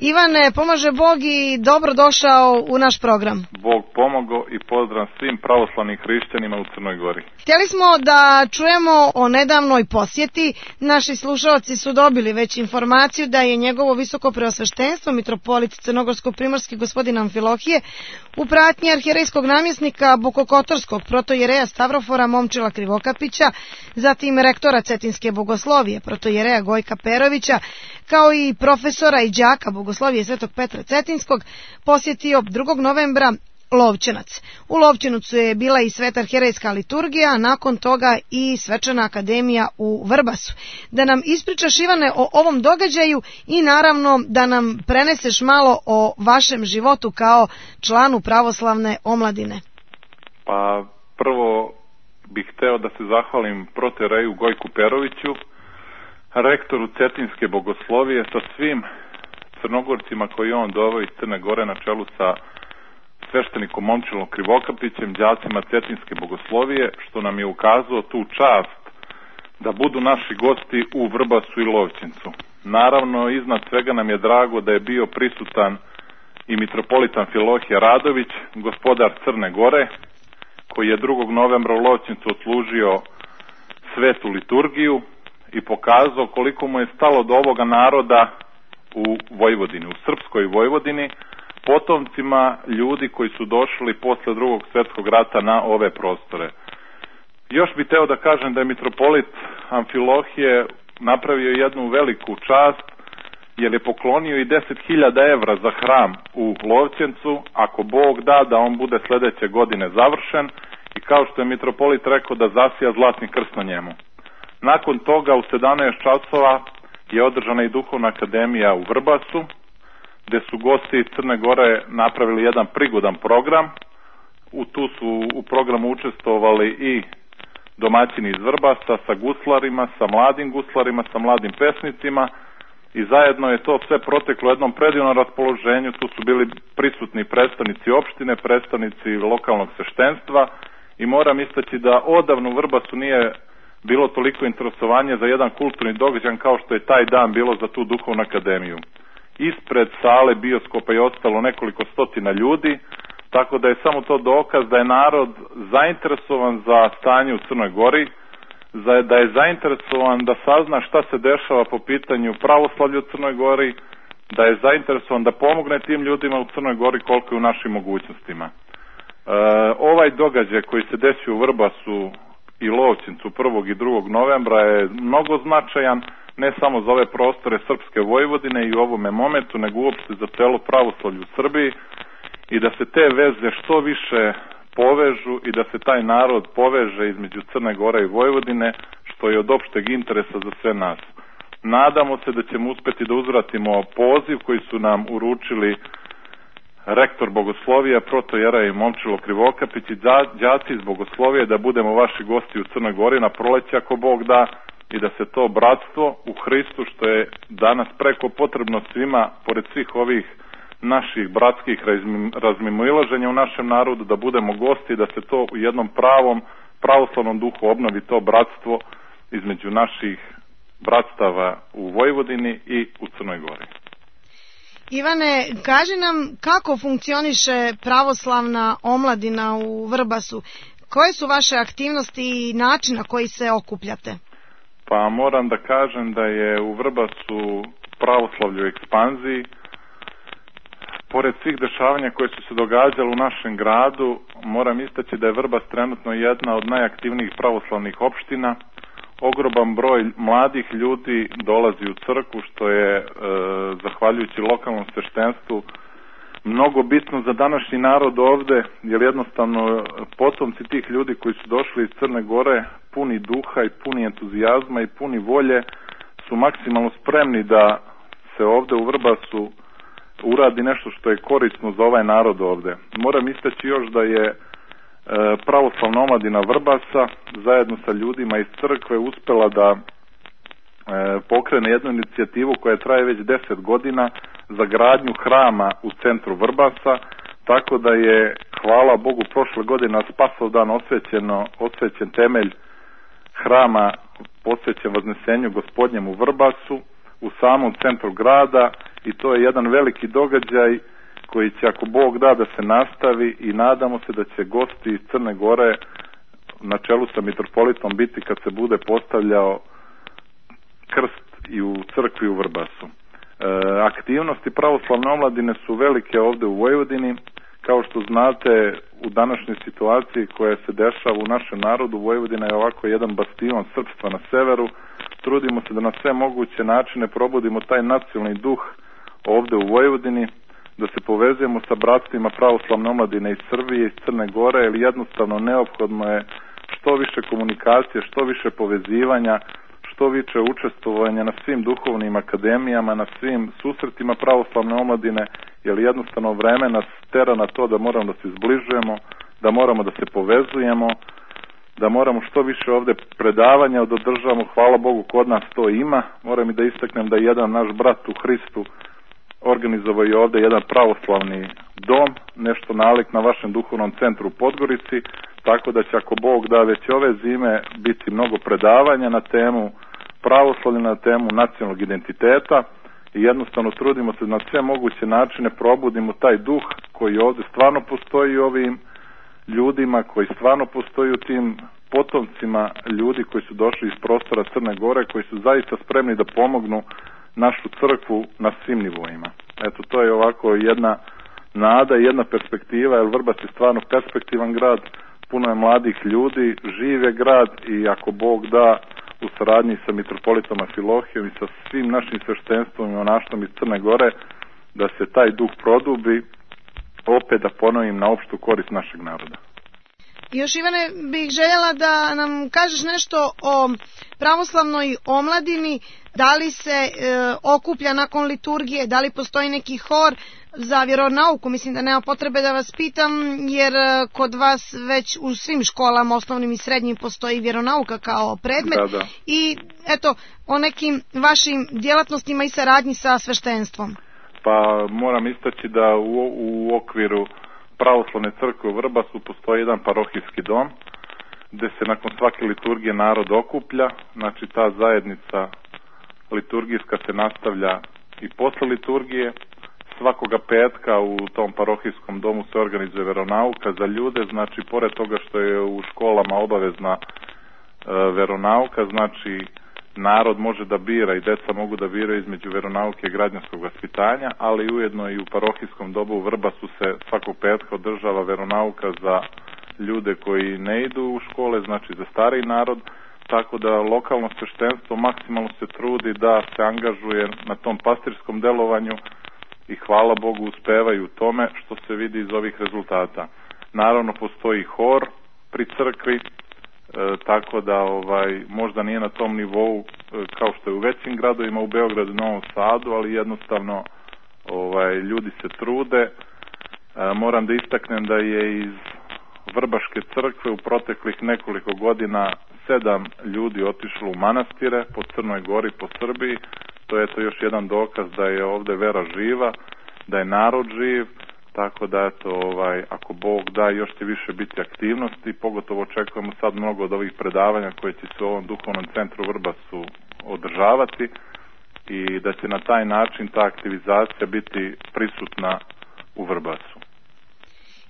Ivane, pomaže Bog i dobro došao u naš program. Bog pomogao i pozdrav svim pravoslavnim hrišćanima u Crnoj Gori. Htjeli smo da čujemo o nedavnoj posjeti. Naši slušalci su dobili već informaciju da je njegovo visoko preosveštenstvo, mitropolit crnogorsko-primorski gospodin Amfilohije, u pratnji arhijerejskog namjesnika Bokokotorskog protojereja Stavrofora Momčila Krivokapića, zatim rektora Cetinske bogoslovije protojereja Gojka Perovića, kao i profesora i đaka bogoslovije Svetog Petra Cetinskog, posjetio 2. novembra Lovćenac. U Lovćenucu je bila i sveta arhijerejska liturgija, a nakon toga i svečana akademija u Vrbasu. Da nam ispričaš, Ivane, o ovom događaju i naravno da nam preneseš malo o vašem životu kao članu pravoslavne omladine. Pa prvo bih hteo da se zahvalim protojereju Gojku Peroviću, rektoru Cetinske bogoslovije, sa svim Crnogorcima koji on doveo iz Crne Gore na čelu sa sveštenikom Momčilom Krivokapićem, đacima Cetinske bogoslovije, što nam je ukazao tu čast da budu naši gosti u Vrbasu i Lovćencu. Naravno, iznad svega nam je drago da je bio prisutan i mitropolit Amfilohije Radović, gospodar Crne Gore, koji je 2. novembra u Lovćencu odslužio svetu liturgiju i pokazao koliko mu je stalo do ovoga naroda u Vojvodini, u srpskoj Vojvodini, potomcima ljudi koji su došli posle Drugog svjetskog rata na ove prostore. Još bih teo da kažem da je mitropolit Amfilohije napravio jednu veliku čast, jer je poklonio i 10.000 evra za hram u Lovćencu, ako Bog da on bude sledeće godine završen, i kao što je mitropolit rekao, da zasija zlatni krst na njemu. Nakon toga u 17 časova je održana i duhovna akademija u Vrbasu, gde su gosti iz Crne Gore napravili jedan prigodan program. Tu su u programu učestvovali i domaćini iz Vrbasa sa guslarima, sa mladim guslarima, sa mladim pesnicima, i zajedno je to sve proteklo u jednom predivnom raspoloženju. Tu su bili prisutni predstavnici opštine, predstavnici lokalnog sveštenstva, i moram istaći da odavno u Vrbasu nije bilo toliko interesovanje za jedan kulturni događaj kao što je taj dan bilo za tu duhovnu akademiju. Ispred sale bioskopa je ostalo nekoliko stotina ljudi, tako da je samo to dokaz da je narod zainteresovan za stanje u Crnoj Gori, da je zainteresovan da sazna šta se dešava po pitanju pravoslavlja u Crnoj Gori, da je zainteresovan da pomogne tim ljudima u Crnoj Gori koliko je u našim mogućnostima. Ovaj događaj koji se desio u Vrbasu i Lovćencu 1. i 2. novembra je mnogo značajan, ne samo za ove prostore srpske Vojvodine i u ovome momentu, nego uopšte za celo pravoslavlje u Srbiji, i da se te veze što više povežu i da se taj narod poveže između Crne Gore i Vojvodine, što je od opšteg interesa za sve nas. Nadamo se da ćemo uspeti da uzvratimo poziv koji su nam uručili rektor bogoslovija, protojerej Momčilo Krivokapić i đaci iz bogoslovije, da budemo vaši gosti u Crnoj Gori na proleće ako Bog da, i da se to bratstvo u Hristu, što je danas preko potrebno svima, pored svih ovih naših bratskih razmimoilaženja u našem narodu, da budemo gosti, da se to u jednom pravom pravoslavnom duhu obnovi, to bratstvo između naših bratstava u Vojvodini i u Crnoj Gori. Ivane, kaži nam kako funkcioniše pravoslavna omladina u Vrbasu? Koje su vaše aktivnosti i način na koji se okupljate? Pa moram da kažem da je u Vrbasu pravoslavlje u ekspanziji. Pored svih dešavanja koje su se događale u našem gradu, moram istaći da je Vrbas trenutno jedna od najaktivnijih pravoslavnih opština. Ogroman broj mladih ljudi dolazi u crkvu, što je, zahvaljujući lokalnom sveštenstvu, mnogo bitno za današnji narod ovde, jer jednostavno potomci tih ljudi koji su došli iz Crne Gore, puni duha i puni entuzijazma i puni volje, su maksimalno spremni da se ovde u Vrbasu uradi nešto što je korisno za ovaj narod ovde. Moram istaći još da je pravoslavna omladina Vrbasa zajedno sa ljudima iz crkve uspela da pokrene jednu inicijativu koja traje već 10 godina za gradnju hrama u centru Vrbasa, tako da je, hvala Bogu, prošle godine na Spasovdan osvećen temelj hrama posvećen Vaznesenju Gospodnjem u Vrbasu, u samom centru grada, i to je jedan veliki događaj koji će, ako Bog da se nastavi, i nadamo se da će gosti iz Crne Gore na čelu sa mitropolitom biti kad se bude postavljao krst i u crkvi u Vrbasu. Aktivnosti pravoslavne omladine su velike ovde u Vojvodini. Kao što znate, u današnjoj situaciji koja se dešava u našem narodu, Vojvodina je ovako jedan bastion srpstva na severu. Trudimo se da na sve moguće načine probudimo taj nacionalni duh ovde u Vojvodini, da se povezujemo sa bratstvima pravoslavne omladine iz Srbije, iz Crne Gore, jer jednostavno neophodno je što više komunikacije, što više povezivanja, što više učestvovanja na svim duhovnim akademijama, na svim susretima pravoslavne omladine, jer jednostavno vreme nas tera na to da moramo da se zbližujemo, da moramo da se povezujemo, da moramo što više ovde predavanja održavamo. Hvala Bogu, kod nas to ima. Moram i da istaknem da je jedan naš brat u Hristu organizovao je ovde jedan pravoslavni dom, nešto nalik na vašem duhovnom centru u Podgorici, tako da će, ako Bog da, već ove zime biti mnogo predavanja na temu pravoslavlja, na temu nacionalnog identiteta, i jednostavno trudimo se na sve moguće načine probudimo taj duh koji ovde stvarno postoji u ovim ljudima, koji stvarno postoji u tim potomcima ljudi koji su došli iz prostora Crne Gore, koji su zaista spremni da pomognu našu crkvu na svim nivoima. Eto, to je ovako jedna nada i jedna perspektiva, jer Vrbas je stvarno perspektivan grad, puno je mladih ljudi, živ je grad, i ako Bog da, u saradnji sa mitropolitom Amfilohijom i sa svim našim sveštenstvom i monaštvom iz Crne Gore, da se taj duh produbi, opet da ponovim, na opštu korist našeg naroda. Još, Ivane, bih željela da nam kažeš nešto o pravoslavnoj omladini, da li se okuplja nakon liturgije, da li postoji neki hor za vjeronauku. Mislim da nema potrebe da vas pitam, jer kod vas već u svim školama, osnovnim i srednjim, postoji vjeronauka kao predmet. Da. I eto, o nekim vašim djelatnostima i saradnji sa sveštenstvom. Pa moram istaći da u okviru pravoslavne crkve u Vrbasu postoji jedan parohijski dom gde se nakon svake liturgije narod okuplja. Znači, ta zajednica liturgijska se nastavlja i posle liturgije. Svakoga petka u tom parohijskom domu se organizuje veronauka za ljude. Znači, pored toga što je u školama obavezna veronauka, znači narod može da bira i deca mogu da biraju između veronauke i građanskog vaspitanja, ali ujedno i u parohijskom domu u Vrbasu se svakog petka održava veronauka za ljude koji ne idu u škole, znači za stariji narod, tako da lokalno sveštenstvo maksimalno se trudi da se angažuje na tom pastirskom delovanju, i hvala Bogu uspevaju u tome, što se vidi iz ovih rezultata. Naravno, postoji hor pri crkvi, tako da možda nije na tom nivou kao što je u većim gradovima, u Beogradu i Novom Sadu, ali jednostavno ljudi se trude. Moram da istaknem da je iz Vrbaške crkve u proteklih nekoliko godina 7 ljudi otišlo u manastire po Crnoj Gori, po Srbiji. To je još jedan dokaz da je ovde vera živa, da je narod živ. Tako da, ako Bog da, još će više biti aktivnosti, pogotovo očekujemo sad mnogo od ovih predavanja koje će se u ovom duhovnom centru Vrbasu održavati, i da će na taj način ta aktivizacija biti prisutna u Vrbasu.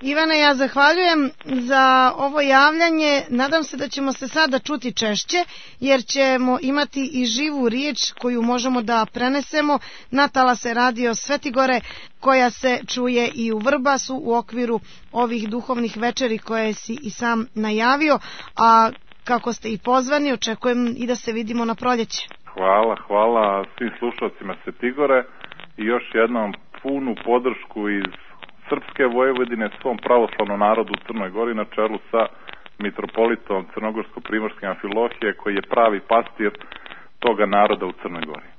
Ivane, ja zahvaljujem za ovo javljanje. Nadam se da ćemo se sada čuti češće, jer ćemo imati i živu riječ koju možemo da prenesemo na talase radio Svetigore, koja se čuje i u Vrbasu u okviru ovih duhovnih večeri koje si i sam najavio, a kako ste i pozvani, očekujem i da se vidimo na proljeće. Hvala svim slušalcima Svetigore i još jednom punu podršku iz Srpske Vojvodine svom pravoslavnom narodu u Crnoj Gori na čelu sa mitropolitom Crnogorsko-primorske Amfilohije, koji je pravi pastir toga naroda u Crnoj Gori.